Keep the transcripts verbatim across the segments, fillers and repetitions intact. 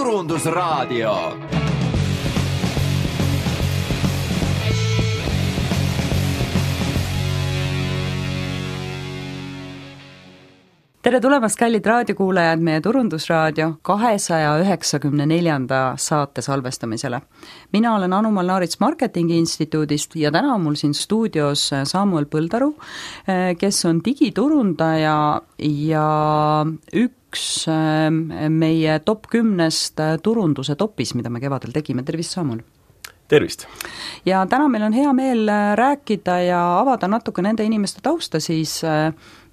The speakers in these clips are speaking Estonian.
Turundusraadio. Tere tulemast, kallid raadiokuulajad, meie Turundusraadio kahesaja üheksakümne neljanda saate salvestamisele. Mina olen Anu-Mall Naarits Marketingi Instituudist ja täna on mul siin stuudios Samuel Põldaru, kes on digiturundaja ja üks meie top kümnest turunduse topis, mida me kevadel tegime. Tervist, Samuel! Tervist! Ja täna meil on hea meel rääkida ja avada natuke nende inimeste tausta siis,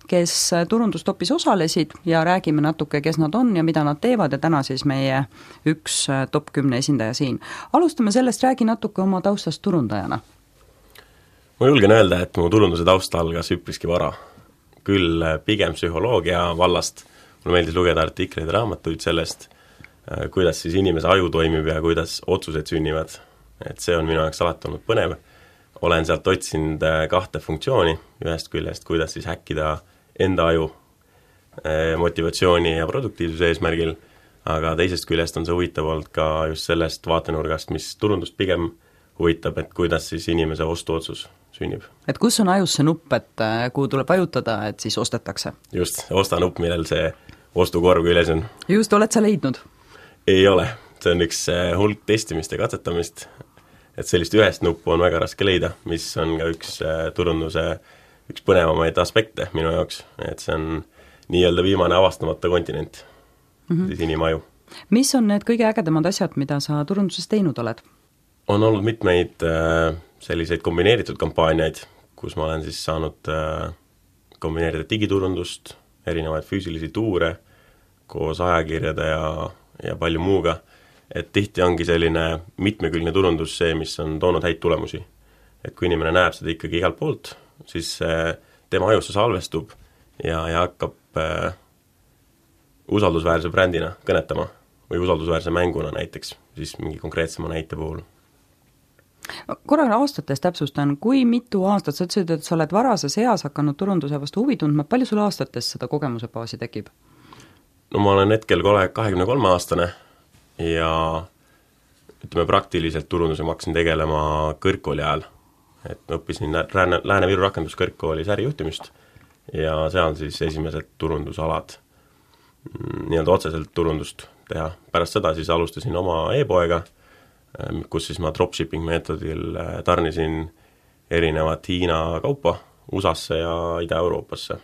kes turundustopis osalesid ja räägime natuke, kes nad on ja mida nad teevad ja täna siis meie üks top kümne esindaja siin. Alustame sellest, räägi natuke oma taustast turundajana. Ma julgen öelda, et mu turunduse tausta algas üpriski vara. Küll pigem psühholoogia vallast. Mulle meeldis lugeda artikleid ja raamatuid sellest, kuidas siis inimese aju toimib ja kuidas otsused sünnivad. Et see on minu jaoks alati olnud põnev. Olen sealt otsinud kahte funktsiooni, ühest küljest, kuidas siis häkkida enda aju motivatsiooni ja produktiivsuse eesmärgil, aga teisest küljest on see huvitav olnud ka just sellest vaatenurgast, mis turundust pigem huvitab, et kuidas siis inimese ostuotsus sünnib. Et kus on ajus see nupp, et kuhu tuleb vajutada, et siis ostetakse? Just, osta nupp, millel see ostukorv küljes on. Just, oled sa leidnud? Ei ole, see on üks hulk testimist ja katsetamist, et sellist ühest nuppu on väga raske leida, mis on ka üks turunduse üks põnevamaid aspekte minu jaoks, et see on nii-öelda viimane avastamata kontinent, mm-hmm. siis inimaju. Mis on need kõige ägedamad asjad, mida sa turunduses teinud oled? On olnud mitmeid äh, selliseid kombineeritud kampaaniaid, kus ma olen siis saanud äh, kombineerida digiturundust, erinevaid füüsilisi tuure koos ajakirjade ja, ja palju muuga, et tihti ongi selline mitmekülgne turundus see, mis on toonud häid tulemusi. Et kui inimene näeb seda ikkagi igalt poolt, siis tema ajusse salvestub ja, ja hakkab äh, usaldusväärse brändina kõnetama või usaldusväärse mänguna näiteks, siis mingi konkreetsema näite puhul. Korra aastates täpsustan, kui mitu aastat, sa ütlesid, et sa oled varases eas hakanud turunduse vastu huvi tundma, palju sul aastates seda kogemuse baasi tekib? No ma olen hetkel kahekümne kolme aastane ja ütleme praktiliselt turunduse ma hakkasin tegelema kõrgkooli ajal. Et ma õppisin Lääne-Viru rakenduskõrgkoolis ärijuhtimist ja seal siis esimesed turundusalad nii-öelda otseselt turundust teha. Pärast seda siis alustasin oma e-poega, kus siis ma dropshipping meetodil tarnisin erinevat Hiina kaupa U S A-sse ja Ida-Euroopasse.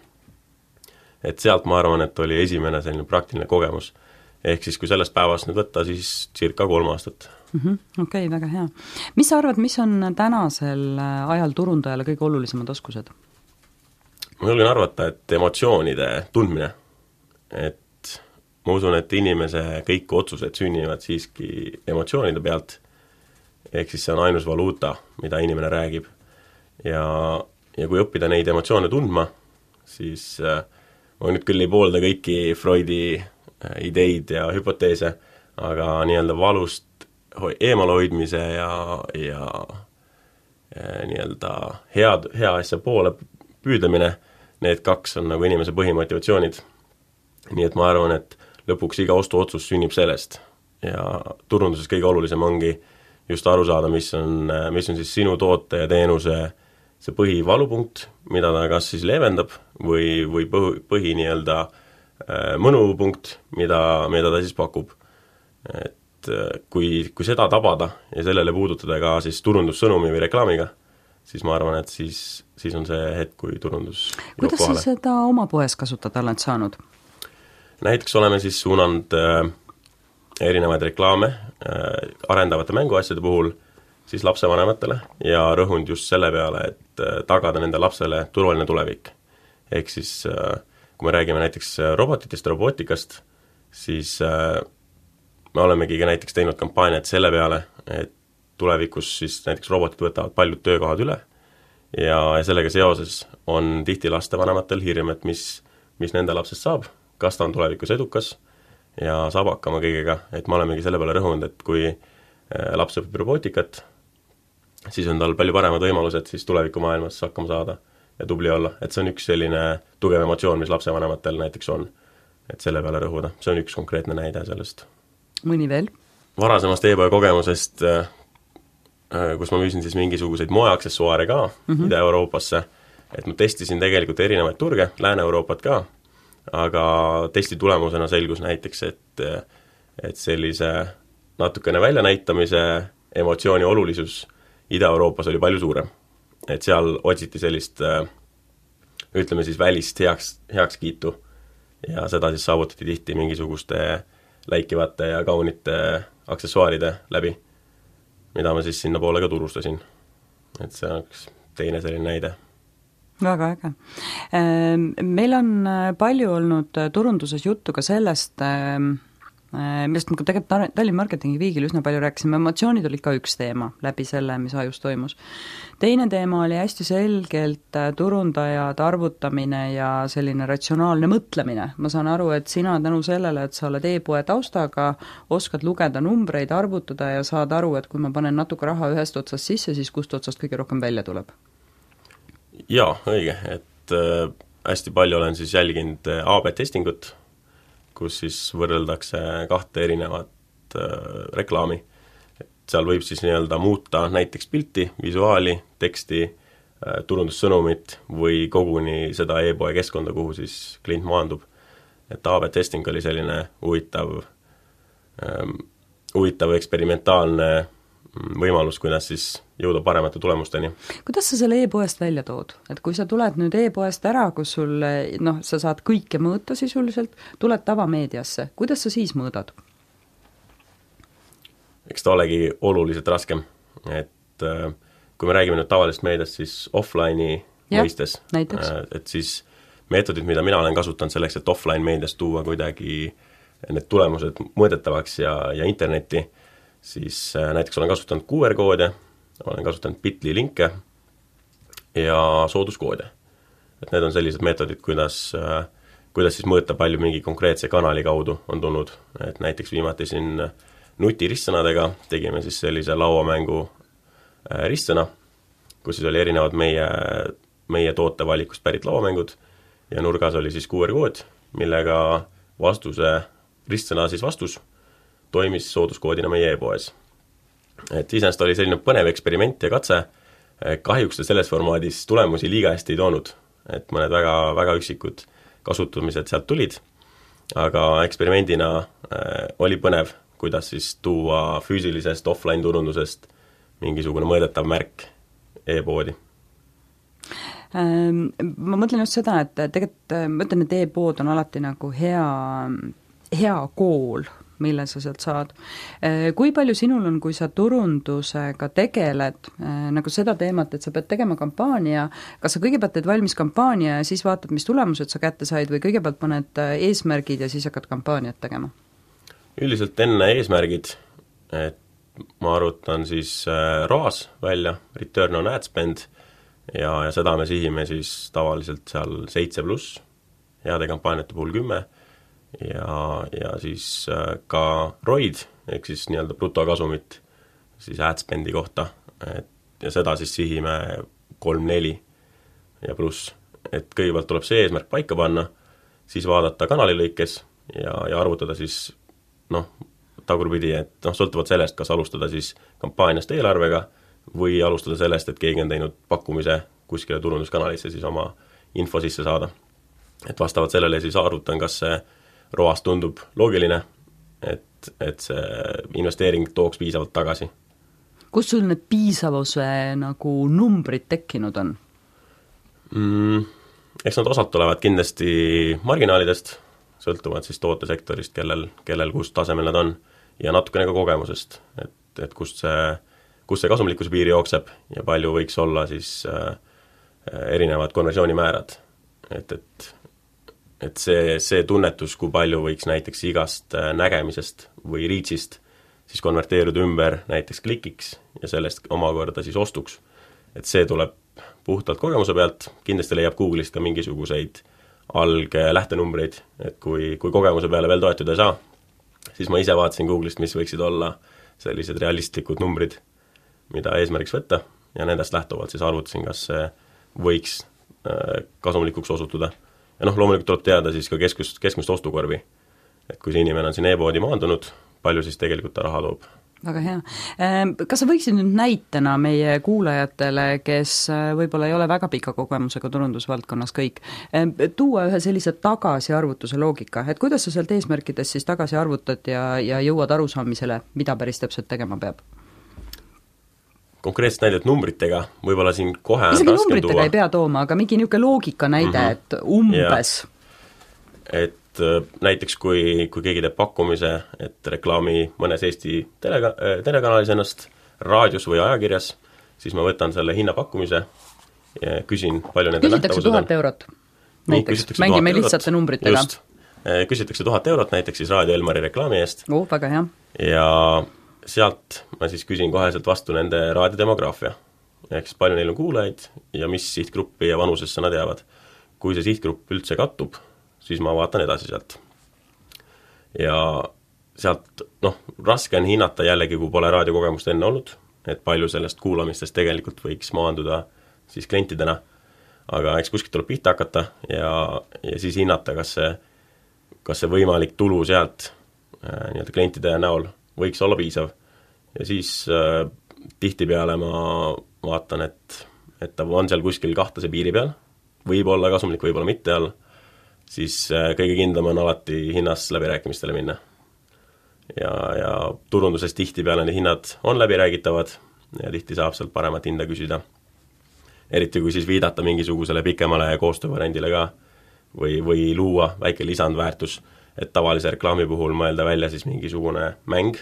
Et sealt ma arvan, et oli esimene selline praktiline kogemus. Ehk siis kui sellest päevast nüüd võtta, siis circa kolm aastat. Mm-hmm. Okei, okay, väga hea. Mis sa arvad, mis on tänasel ajal turundajale kõige olulisemad oskused? Ma julgen arvata, et emotsioonide tundmine. Et ma usun, et inimese kõik otsused sünnivad siiski emotsioonide pealt. Ehk siis see on ainus valuuta, mida inimene räägib. Ja, ja kui õppida neid emotsioone tundma, siis ma nüüd küll ei poolda kõiki Freudi ideid ja hüpoteese, aga nii-öelda valust eemale hoidmise ja, ja, ja nii-öelda head, hea asja poole püüdlemine, need kaks on nagu inimese põhimotivatsioonid. Nii et ma arvan, et lõpuks iga ostuotsus sünnib sellest ja turunduses kõige olulisem ongi just aru saada, mis on, mis on siis sinu toote ja teenuse see põhivalupunkt, mida ta kas siis leevendab või, või põhi, põhi nii-öelda mõnupunkt, mida, mida ta siis pakub. Et kui, kui seda tabada ja sellele puudutada ka siis turundussõnumi või reklaamiga, siis ma arvan, et siis, siis on see hetk, kui turundus kuidas sa seda oma poes kasutada oled saanud? Näiteks oleme siis suunanud äh, erinevaid reklaame äh, arendavate mänguasjade puhul siis lapsevanematele ja rõhund just selle peale, et äh, tagada nende lapsele turvaline tulevik. Ehk siis äh, kui me räägime näiteks robotitest, robotikast, siis äh, me olemegi näiteks teinud kampaaniat selle peale, et tulevikus siis näiteks robotid võtavad paljud töökohad üle ja, ja sellega seoses on tihti lastevanematel hirm, et mis, mis nende lapsest saab, kas ta on tulevikus edukas ja saab hakkama kõigega, et me olemegi selle peale rõhunud, et kui äh, laps õpib robotikat, siis on tal palju paremad võimalused siis tulevikumaailmas hakkama saada ja tubli olla, et see on üks selline tugev emotsioon, mis lapsevanematel näiteks on, et selle peale rõhuda. See on üks konkreetne näide sellest. mõni veel? Varasemast e-poe kogemusest, kus ma müüsin siis mingisuguseid moeaksessuaare ka mm -hmm. Ida-Euroopasse, et ma testisin tegelikult erinevaid turge, Lääne-Euroopat ka, aga testi tulemusena selgus näiteks, et, et sellise natukene väljanäitamise emotsiooni olulisus Ida-Euroopas oli palju suurem. Et seal otsiti sellist, ütleme siis välist heaks, heakskiitu ja seda siis saavutati tihti mingisuguste läikivate ja kaunite aksessuaaride läbi, mida ma siis sinna poole ka turustasin. Et see on üks teine selline näide. Väga äge. Meil on palju olnud turunduses juttu ka sellest, millest me tegelikult Tallinn Marketingi Viigil üsna palju rääkisime, emotsioonid olid ka üks teema läbi selle, mis ajus toimus. Teine teema oli hästi selgelt turundajad, arvutamine ja selline ratsionaalne mõtlemine. Ma saan aru, et sina tänu sellele, et sa oled e-poe taustaga, oskad lugeda numbreid, arvutada ja saad aru, et kui ma panen natuke raha ühest otsast sisse, siis kust otsast kõige rohkem välja tuleb? Jaa, õige, et äh, hästi palju olen siis jälginud A B testingut, kus siis võrreldakse kahte erinevat äh, reklaami. Et seal võib siis nii-öelda muuta näiteks pilti, visuaali, teksti, äh, turundussõnumit või koguni seda e-poe keskkonda, kuhu siis klient maandub. Et A B testing oli selline huvitav, ähm, huvitav eksperimentaalne võimalus, kuidas siis jõuda paremate tulemusteni. Kuidas sa selle e-poest välja tood? Et kui sa tuled nüüd e-poest ära, kus sul, noh, sa saad kõike mõõta sisuliselt, tuled tavameediasse, kuidas sa siis mõõdad? Eks ta olegi oluliselt raskem, et kui me räägime nüüd tavalisest meediast, siis offline'i ja, mõistes, et siis meetodid, mida mina olen kasutanud selleks, et offline meediast tuua kuidagi need tulemused mõõdetavaks ja, ja internetti, siis näiteks olen kasutanud Q R-koode, olen kasutanud Bitly linke ja sooduskoode. Et need on sellised meetodid, kuidas, kuidas siis mõõta palju mingi konkreetse kanali kaudu on tulnud. Et näiteks viimati siin nuti ristsõnadega tegime siis sellise lauamängu ristsõna, kus siis oli erinevad meie, meie tootevalikust pärit lauamängud ja nurgas oli siis Q R-kood, millega vastuse, ristsõna siis vastus toimis sooduskoodina meie e-poes. Et iseenesest oli selline põnev eksperiment ja katse, kahjuks selles formaadis tulemusi liiga hästi ei toonud, et mõned väga, väga üksikud kasutamised sealt tulid, aga eksperimendina äh, oli põnev, kuidas siis tuua füüsilisest offline turundusest mingisugune mõõdetav märk e-poodi. Ma mõtlen just seda, et tegelikult ma ütlen, et e-pood on alati nagu hea, hea kool, mille sa sealt saad. Kui palju sinul on, kui sa turundusega tegeled, nagu seda teemat, et sa pead tegema kampaania, kas sa kõigepealt teed valmis kampaania ja siis vaatad, mis tulemused sa kätte said või kõigepealt paned eesmärgid ja siis hakkad kampaaniat tegema? Üldiselt enne eesmärgid, et ma arvutan siis R O A S välja, Return on Ad Spend, ja, ja seda me sihime siis tavaliselt seal seitse pluss, heade kampaaniate puhul kümme, ja, ja siis ka R O I D, ehk siis nii-öelda brutokasumit siis AdSpendi kohta, et ja seda siis sihime kolm neli ja pluss. Et kõigepealt tuleb see eesmärk paika panna, siis vaadata kanali lõikes ja, ja arvutada siis noh, tagurpidi, et noh, sõltuvalt sellest, kas alustada siis kampaaniast eelarvega või alustada sellest, et keegi on teinud pakkumise kuskile turunduskanalisse siis oma info sisse saada. Et vastavalt sellele siis arvutan, kas see R O A S tundub loogiline, et, et see investeering tooks piisavalt tagasi. Kus sul need piisavuse nagu numbrid tekkinud on? Mm, eks nad osad tulevad kindlasti marginaalidest, sõltuvad siis tootesektorist, kellel, kellel kust tasemel nad on, ja natukene ka kogemusest, et, et kust see, kust see kasumlikkuse piiri jookseb ja palju võiks olla siis äh, erinevad konversioonimäärad. Et, et, et see, see tunnetus, kui palju võiks näiteks igast nägemisest või reachist siis konverteeruda ümber näiteks klikiks ja sellest omakorda siis ostuks. Et see tuleb puhtalt kogemuse pealt, kindlasti leiab Google'ist ka mingisuguseid alglähtenumbreid, et kui, kui kogemuse peale veel toetuda ei saa, siis ma ise vaatasin Google'ist, mis võiksid olla sellised realistlikud numbrid, mida eesmärgiks võtta, ja nendest lähtuvalt siis arvutasin, kas see võiks kasumlikuks osutuda. Ja noh, loomulikult tuleb teada siis ka keskust, keskmist ostukorvi, et kui see inimene on siin e-poodi maandunud, palju siis tegelikult ta raha toob. Väga hea. Kas sa võiksid nüüd näitena meie kuulajatele, kes võib-olla ei ole väga pika kogemusega turundusvaldkonnas kõik, tuua ühe sellise tagasiarvutuse loogika, et kuidas sa sealt eesmärkidest siis tagasi arvutad ja, ja jõuad arusaamisele, mida päris täpselt tegema peab? Konkreetselt näidet numbritega, võib-olla siin kohe on isegi raskem numbritega tuua. ei pea tooma, aga mingi niisugune loogika näide, mm -hmm. et umbes ja. Et näiteks kui, kui keegi teeb pakkumise, et reklaami mõnes Eesti telega, telekanalis ennast, raadios või ajakirjas, siis ma võtan selle hinnapakkumise ja küsin, palju nende küsitakse tuhat eurot näiteks, mängime lihtsate numbritega. Just, küsitakse tuhat eurot näiteks siis Raadio Elmari reklaami eest. Oh, väga hea. Ja sealt ma siis küsin koheselt vastu nende raadiodemograafia. Ehk siis palju neil on kuulajaid ja mis sihtgruppi ja vanusesse nad jäävad. Kui see sihtgrupp üldse kattub, siis ma vaatan edasi sealt. Ja sealt, noh, raske on hinnata jällegi, kui pole raadiokogemust enne olnud, et palju sellest kuulamistest tegelikult võiks maanduda siis klientidena, aga eks kuskilt tuleb pihta hakata ja, ja siis hinnata, kas see, kas see võimalik tulu sealt äh, nii-öelda klientide näol võiks olla piisav. Ja siis äh, tihtipeale ma vaatan, et, et ta on seal kuskil kahtlase piiri peal, võib olla kasumlik, võib olla mitte all, siis kõige kindlam on alati hinnas läbirääkimistele minna. Ja, ja turunduses tihtipeale need hinnad on läbiräägitavad ja tihti saab sealt paremat hinda küsida. Eriti kui siis viidata mingisugusele pikemale koostöövariandile ka või, või luua väike lisandväärtus, et tavalise reklaami puhul mõelda välja siis mingisugune mäng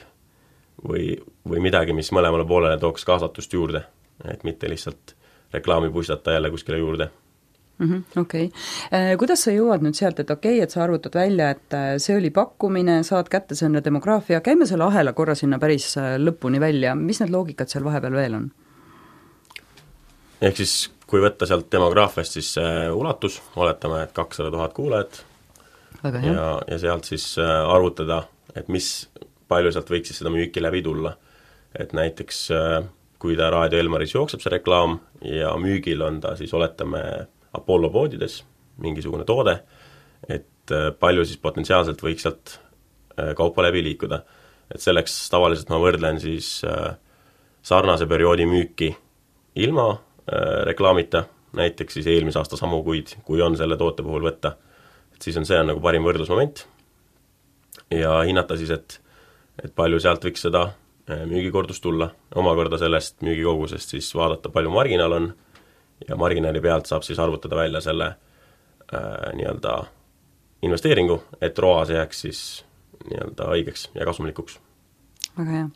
või, või midagi, mis mõlemale poolele tooks kaasatust juurde, et mitte lihtsalt reklaami puistata jälle kuskile juurde. Mm-hmm, okei. Okay. Kuidas sa jõuad nüüd sealt, et okei, okay, et sa arvutad välja, et see oli pakkumine, saad kätte selle demograafia, käime selle ahela korra sinna päris lõpuni välja, mis need loogikad seal vahepeal veel on? Ehk siis, kui võtta sealt demograafiast, siis ulatus, oletame, et kakssada tuhat kuulajat ja, ja sealt siis arvutada, et mis palju sealt võiks siis seda müüki läbi tulla. Et näiteks, kui ta Raadio Elmaris jookseb see reklaam ja müügil on ta siis, oletame, Apollo poodides mingisugune toode, et palju siis potentsiaalselt võiks sealt kaupa läbi liikuda. Et selleks tavaliselt ma võrdlen siis sarnase perioodi müüki ilma reklaamita, näiteks siis eelmise aasta samu kuid, kui on selle toote puhul võtta. Et siis on see on nagu parim võrdlusmoment ja hinnata siis, et, et palju sealt võiks seda müügikordust tulla. Omakorda sellest müügikogusest siis vaadata, palju marginaal on ja marginaali pealt saab siis arvutada välja selle äh, nii-öelda investeeringu, et roas jääks siis nii-öelda õigeks ja kasumlikuks. Väga hea.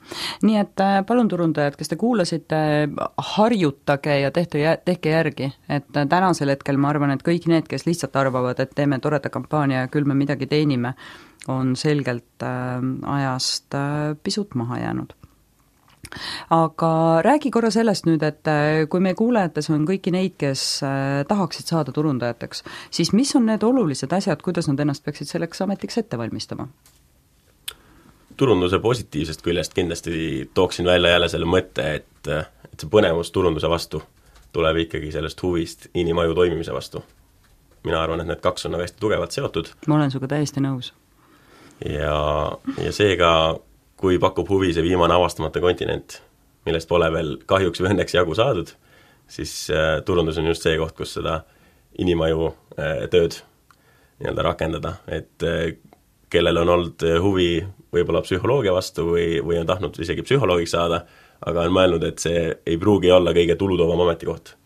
Nii et palun turundajad, kes te kuulasite, harjutage ja tehte, tehke järgi, et tänasel hetkel ma arvan, et kõik need, kes lihtsalt arvavad, et teeme toreda kampaania ja küll me midagi teenime, on selgelt äh, ajast äh, pisut maha jäänud. Aga räägi korra sellest nüüd, et kui meie kuulajates on kõiki neid, kes tahaksid saada turundajateks, siis mis on need olulised asjad, kuidas nad ennast peaksid selleks ametiks ette valmistama? Turunduse positiivsest küljest kindlasti tooksin välja jälle selle mõtte, et, et see põnevus turunduse vastu tuleb ikkagi sellest huvist inimaju toimimise vastu. Mina arvan, et need kaks on hästi tugevalt seotud. Ma olen suga täiesti nõus. Ja, ja seega kui pakub huvi see viimane avastamata kontinent, millest pole veel kahjuks või õnneks jagu saadud, siis äh, turundus on just see koht, kus seda inimaju äh, tööd nii-öelda rakendada, et äh, kellel on olnud huvi võib-olla psühholoogia vastu või, või on tahtnud isegi psühholoogiks saada, aga on mõelnud, et see ei pruugi olla kõige tulutovam ametikoht.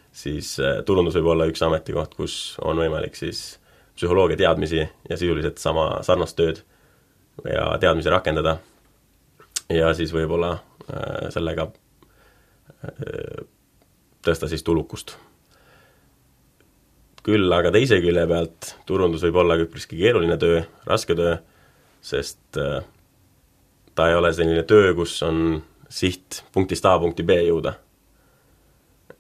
Siis äh, turundus võib olla üks ametikoht, kus on võimalik siis psühholoogia teadmisi ja sisuliselt sama sarnast tööd ja teadmisi rakendada. Ja siis võib-olla äh, sellega äh, tõsta siis tulukust. Küll aga teise külje pealt turundus võib olla üpriski keeruline töö, raske töö, sest äh, ta ei ole selline töö, kus on siht punktist A punkti B jõuda.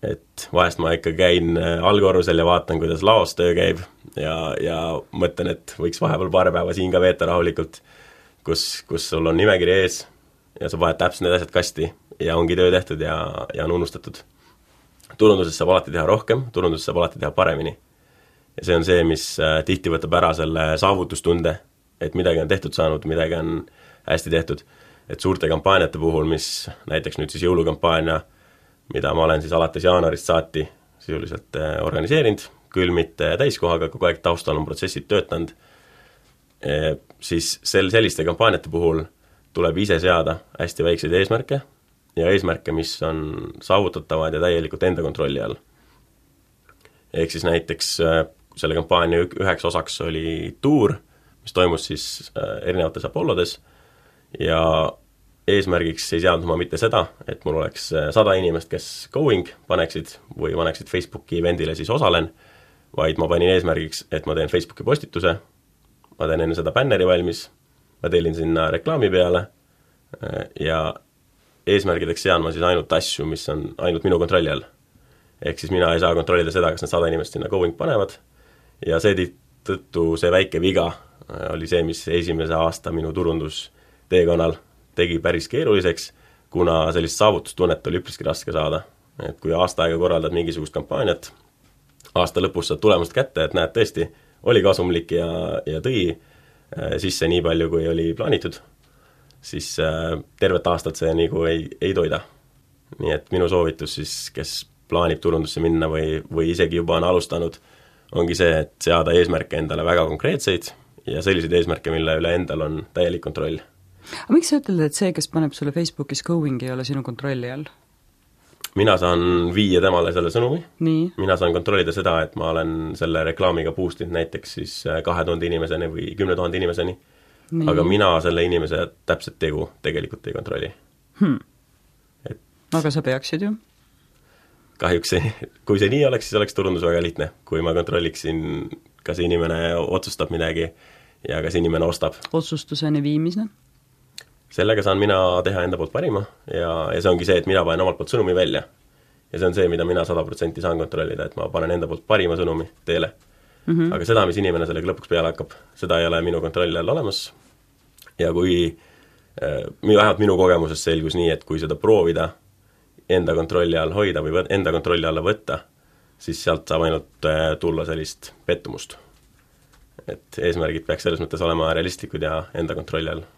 Et vahest ma ikka käin allkorrusel ja vaatan, kuidas laos töö käib ja, ja mõtlen, et võiks vahepeal paar päeva siin ka veeta rahulikult, kus, kus sul on nimekiri ees ja sa vahed täpselt need asjad kasti ja ongi töö tehtud ja, ja on unustatud. Turunduses saab alati teha rohkem, turunduses saab alati teha paremini. Ja see on see, mis tihti võtab ära selle saavutustunde, et midagi on tehtud saanud, midagi on hästi tehtud, et suurte kampaaniate puhul, mis näiteks nüüd siis jõulukampaania, mida ma olen siis alates jaanuarist saati sisuliselt organiseerinud, küll mitte täiskohaga, kogu aeg taustal on protsessid töötanud, siis sel selliste kampaaniate puhul tuleb ise seada hästi väikseid eesmärke ja eesmärke, mis on saavutatavad ja täielikult enda kontrolli all. Ehk siis näiteks selle kampaania üheks osaks oli tuur, mis toimus siis erinevates Apollodes ja eesmärgiks ei seadnud ma mitte seda, et mul oleks sada inimest, kes going paneksid või paneksid Facebooki eventile siis osalen, vaid ma panin eesmärgiks, et ma teen Facebooki postituse, ma teen enne seda bänneri valmis, ma tellin sinna reklaami peale ja eesmärgideks sean ma siis ainult asju, mis on ainult minu kontrolli all. Ehk siis mina ei saa kontrollida seda, kas need sada inimest sinna going panevad ja see tõttu see väike viga oli see, mis esimese aasta minu turundusteekonnal tegi päris keeruliseks, kuna sellist saavutustunnet oli üpriski raske saada. Et kui aasta aega korraldad mingisugust kampaaniat, aasta lõpus saad tulemust kätte, et näed tõesti, oli kasumlik ja, ja tõi sisse nii palju, kui oli plaanitud, siis tervet aastat see nagu ei, ei toida. Nii et minu soovitus siis, kes plaanib turundusse minna või, või isegi juba on alustanud, ongi see, et seada eesmärke endale väga konkreetseid ja selliseid eesmärke, mille üle endal on täielik kontroll. Aga miks sa ütled, et see, kes paneb sulle Facebookis going, ei ole sinu kontrolli all? Mina saan viia temale selle sõnumi. Nii. Mina saan kontrollida seda, et ma olen selle reklaamiga boostid näiteks siis kahe tuhande inimeseni või kümne tuhande inimeseni. Nii. Aga mina selle inimese täpselt tegu tegelikult ei kontrolli. Hmm. Et aga sa peaksid ju? Kahjuks see, kui see nii oleks, siis oleks turundus väga lihtne. Kui ma kontrolliksin, kas inimene otsustab midagi ja kas inimene ostab. Otsustuseni viimisne? Sellega saan mina teha enda poolt parima ja, ja see ongi see, et mina panen omalt poolt sõnumi välja. Ja see on see, mida mina sada protsenti saan kontrollida, et ma panen enda poolt parima sõnumi teele. Mm-hmm. Aga seda, mis inimene sellega lõpuks peale hakkab, seda ei ole minu kontrolli all olemas. Ja kui, vähemalt minu kogemuses selgus nii, et kui seda proovida enda kontrolli all hoida või enda kontrolli alla võtta, siis sealt saab ainult tulla sellist pettumust. Et eesmärgid peaks selles mõttes olema realistlikud ja enda kontrolli all.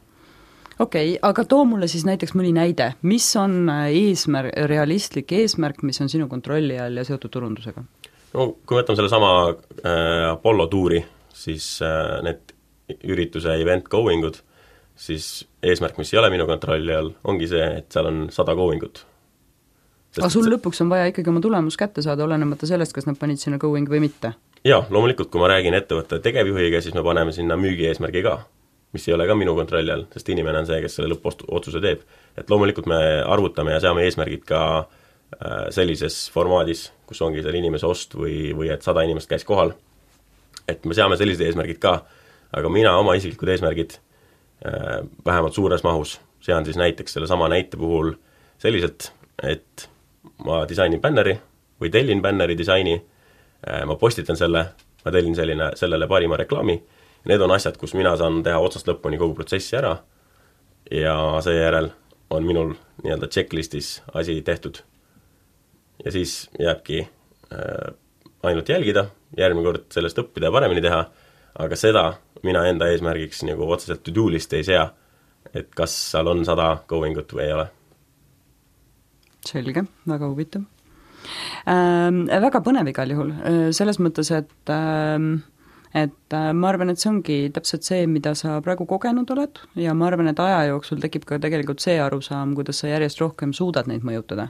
Okei, okay, aga too mulle siis näiteks mõni näide, mis on eesmärk, realistlik eesmärk, mis on sinu kontrolli all ja seotud turundusega? No kui võtame selle sama äh, Apollo tuuri, siis äh, need ürituse event goingud, siis eesmärk, mis ei ole minu kontrolli all, ongi see, et seal on sada goingut. Aga sul see... lõpuks on vaja ikkagi oma tulemus kätte saada, olenemata sellest, kas nad panid sinna going või mitte? Jaa, loomulikult, kui ma räägin ettevõtte tegevjuhiga, siis me paneme sinna müügi eesmärgi ka, mis ei ole ka minu kontrolli all, sest inimene on see, kes selle lõppotsuse teeb. Et loomulikult me arvutame ja seame eesmärgid ka äh, sellises formaadis, kus ongi selle inimese ost või, või et sada inimest käis kohal. Et me seame sellised eesmärgid ka, aga mina oma isiklikud eesmärgid äh, vähemalt suures mahus sean siis näiteks selle sama näite puhul selliselt, et ma disainin bänneri või tellin bänneri disaini, äh, ma postitan selle, ma tellin selline, sellele parima reklaami. Need on asjad, kus mina saan teha otsast lõpuni kogu protsessi ära ja seejärel on minul nii-öelda checklistis asi tehtud. Ja siis jääbki äh, ainult jälgida, järgmine kord sellest õppida ja paremini teha, aga seda mina enda eesmärgiks nagu otseselt to-do list ei sea, et kas seal on sada goingut või ei ole. Selge, väga huvitav. Ähm, väga põnev igal juhul, selles mõttes, et ähm, et ma arvan, et see ongi täpselt see, mida sa praegu kogenud oled ja ma arvan, et aja jooksul tekib ka tegelikult see arusaam, kuidas sa järjest rohkem suudad neid mõjutada.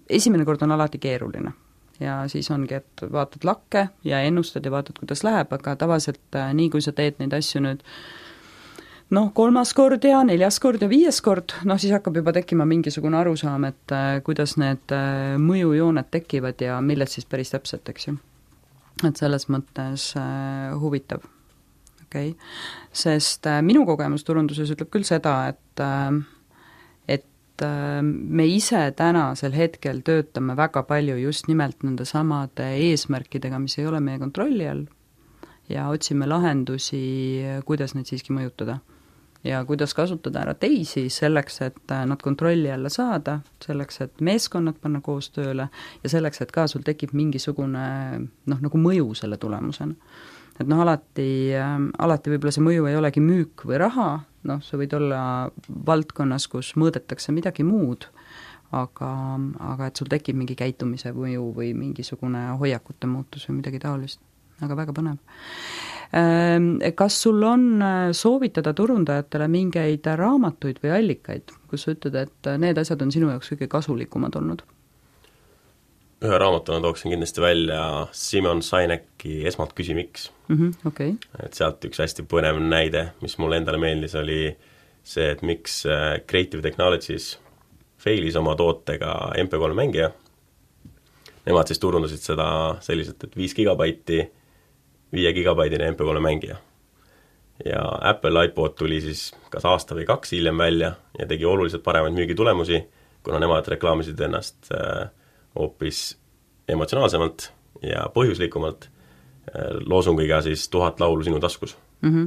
Esimene kord on alati keeruline ja siis ongi, et vaatad lakke ja ennustad ja vaatad, kuidas läheb, aga tavaliselt nii, kui sa teed neid asju nüüd noh, kolmas kord ja neljas kord ja viies kord, noh siis hakkab juba tekkima mingisugune arusaam, et kuidas need mõjujooned tekivad ja milled siis päris täpselt, eks ju. Et selles mõttes äh, huvitav, okei okay., sest äh, minu kogemus turunduses ütleb küll seda, et äh, et äh, me ise tänasel hetkel töötame väga palju just nimelt nende samade eesmärkidega, mis ei ole meie kontrolli all ja otsime lahendusi, kuidas neid siiski mõjutada ja kuidas kasutada ära teisi selleks, et nad kontrolli alla saada, selleks, et meeskonnad panna koos tööle ja selleks, et ka sul tekib mingisugune noh, nagu mõju selle tulemusena. Et noh, alati, alati võib-olla see mõju ei olegi müük või raha, noh, sa võid olla valdkonnas, kus mõõdetakse midagi muud, aga, aga et sul tekib mingi käitumise mõju või mingisugune hoiakute muutus või midagi taolist, aga väga põnev. Kas sul on soovitada turundajatele mingeid raamatuid või allikaid, kus sa ütled, et need asjad on sinu jaoks kõige kasulikumad olnud? Ühe raamatuna tooksin kindlasti välja Simon Sineki Esmalt küsi miks. Mm-hmm, okay. Et sealt üks hästi põnev näide, mis mulle endale meeldis, oli see, et miks Creative Technologies failis oma tootega M P kolm mängija. Nemad siis turundasid seda selliselt, et viis gigabaiti, viie gigabaidine M P kolm mängija. Ja Apple iPod tuli siis kas aasta või kaks hiljem välja ja tegi oluliselt paremaid müügitulemusi, kuna nemad reklaamisid ennast hoopis emotsionaalsemalt ja põhjuslikumalt loosungiga siis tuhat laulu sinu taskus. Mm-hmm.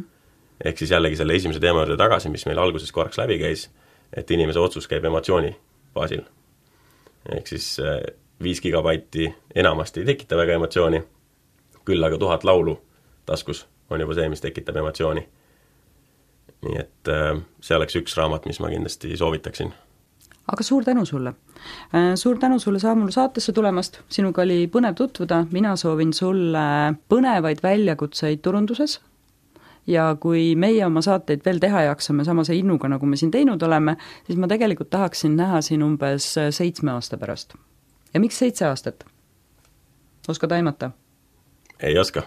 Ehk siis jällegi selle esimese teema juurde tagasi, mis meil alguses korraks läbi käis, et inimese otsus käib emotsiooni baasil. Ehk siis viis gigabaiti enamasti ei tekita väga emotsiooni, küll aga tuhat laulu taskus on juba see, mis tekitab emotsiooni. Nii et see oleks üks raamat, mis ma kindlasti soovitaksin. Aga suur tänu sulle. Suur tänu sulle Saamulu saatesse tulemast, sinuga oli põnev tutvuda, mina soovin sulle põnevaid väljakutseid turunduses ja kui meie oma saateid veel teha jaksame samase innuga, nagu me siin teinud oleme, siis ma tegelikult tahaksin näha siin umbes seitsme aasta pärast. Ja miks seitse aastat? Oskad aimata? Ei oska.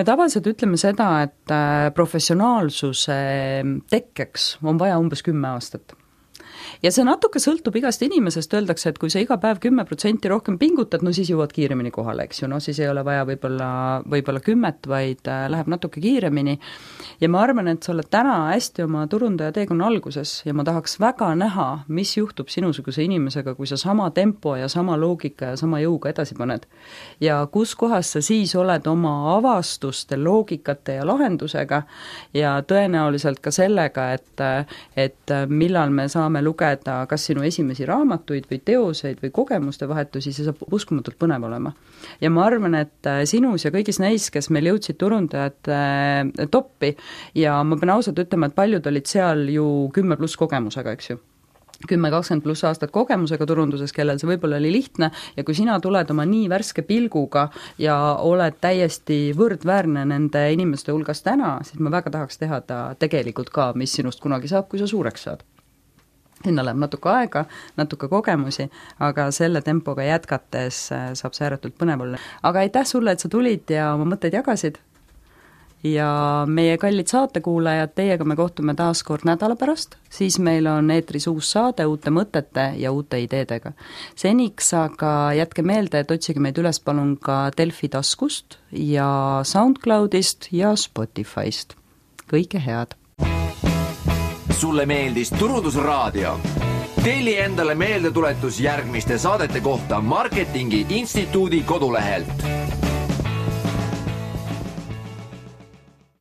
Me tavaliselt ütleme seda, et professionaalsuse tekkeks on vaja umbes kümme aastat. Ja see natuke sõltub igast inimesest, öeldakse, et kui sa iga päev kümme protsenti rohkem pingutad, no siis jõuad kiiremini kohale, eks ju, no siis ei ole vaja võib-olla, võib-olla kümmet, vaid läheb natuke kiiremini. Ja ma arvan, et sa oled täna hästi oma turundaja teekonna alguses ja ma tahaks väga näha, mis juhtub sinusuguse inimesega, kui sa sama tempo ja sama loogika ja sama jõuga edasi paned. Ja kus kohas sa siis oled oma avastuste, loogikate ja lahendusega ja tõenäoliselt ka sellega, et, et millal me saame lugeda kas sinu esimesi raamatuid või teoseid või kogemuste vahetusi, see saab uskumatult põnev olema. Ja ma arvan, et sinus ja kõigis neis, kes meil jõudsid turundajad toppi ja ma pean ausalt ütlema, et paljud olid seal ju kümme pluss kogemusega, eks ju. kümme kakskümmend pluss aastat kogemusega turunduses, kellel see võib-olla oli lihtne ja kui sina tuled oma nii värske pilguga ja oled täiesti võrdväärne nende inimeste hulgas täna, siis ma väga tahaks teha ta tegelikult ka, mis sinust kunagi saab, kui sa suureks saad. Sinna läheb natuke aega, natuke kogemusi, aga selle tempoga jätkates saab see ääretult põnev olla. Aga aitäh sulle, et sa tulid ja oma mõtteid jagasid. Ja meie kallid saatekuulajad, teiega me kohtume taas kord nädala pärast, siis meil on eetris uus saade uute mõtete ja uute ideedega. Seniks aga jätke meelde, et otsige meid üles palun ka Delfi taskust ja SoundCloudist ja Spotifyst. Kõike head! Sulle meeldis Turundusraadio? Telli endale meeldetuletus järgmiste saadete kohta Marketingi Instituudi kodulehelt.